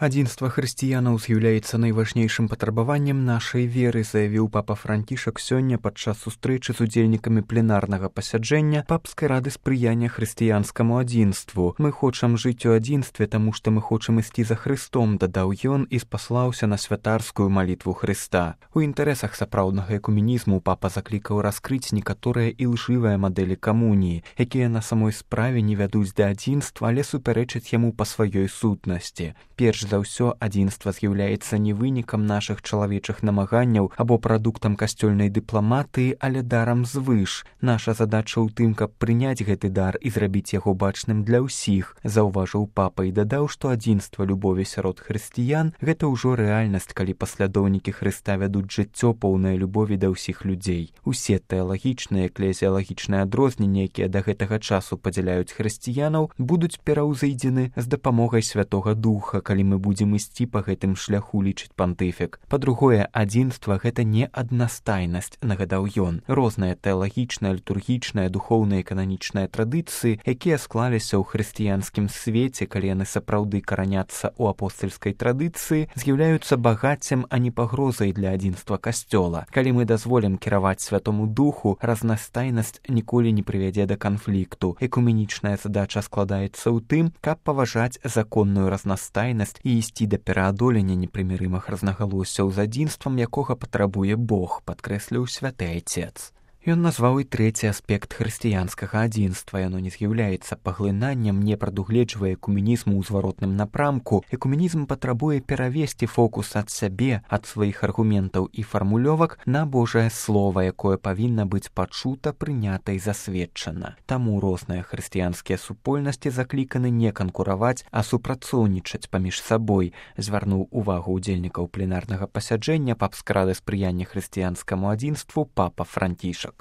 Адзінства хрысціянаў з'яўляецца найважнейшым патрабаваннем нашай веры, заявіў папа Францішак сёння падчас сустрэчы з удзельнікамі пленарнага пасяджэння папскай рады спрыяння хрысціянскаму адзінству. Мы хочам жыць у адзінстве, таму што мы хочам ісці за Хрыстом, дадаў ён і спаслаўся на святарскую малітву Хрыста. У інтарэсах сапраўднага экуменізму папа заклікаў раскрыць некаторыя ілжывыя мадэлі камуніі, якія на самой справе не вядуць да адзінства, але супярэчаць яму па сваёй сутнасці. Перш за ўсё, адзінства з'яўляецца не вынікам нашых чалавечых намаганняў або прадуктам касцёльнай дыпламатыі, але дарам звыш. Наша задача ў тым, каб прыняць гэты дар і зрабіць яго бачным для ўсіх, заўважыў папа і дадаў, што адзінства любові сярод хрысціян – гэта ўжо рэальнасць, калі паслядоўнікі Хрыста вядуць жыццё поўнае любові да ўсіх людзей. Усе тэалагічныя, эклезіялагічныя адрозненні, якія да гэтага часу падзяляюць хрысціянаў, будуць пераўзыдзены з дапамогай Святога Духа, калі мы будзем ісці па гэтым шляху, лічыць пантыфік. Па-другое, адзінства – гэта не аднастайнасць, нагадаў ён. Розныя тэалагічныя, літургічныя, духоўныя і кананічныя традыцыі, якія склаліся ў хрысціянскім свеце, калі яны сапраўды караняцца ў апостальскай традыцыі, з'яўляюцца багаццем, а не пагрозай для адзінства касцёла. Калі мы дазволім кіраваць Святому Духу, разнастайнасць ніколі не прывядзе да канфлікту. Экуменічная задача складаецца ў тым, каб паважаць законную разнастайнасць і ісці да пераадолення непрымірымых рознагалоссяў з адзінствам, якога патрабуе Бог, падкрэсліў святы Айцец. Ён назваў і трэці аспект хрысціянскага адзінства. Яно не з'яўляецца паглынаннем, не прадугледжвае экуменізму ў зваротным напрамку. Экуменізм патрабуе перавесці фокус ад сябе, ад сваіх аргументаў і фармулёвак на Божае Слова, якое павінна быць пачута, прынята і засведчана. Таму розныя хрысціянскія супольнасці закліканы не канкураваць, а супрацоўнічаць паміж сабой, звярнуў увагу ўдзельнікаў пленарнага пасяджэння папскай рады спрыяння хрысціянскаму адзінству папа Францішак.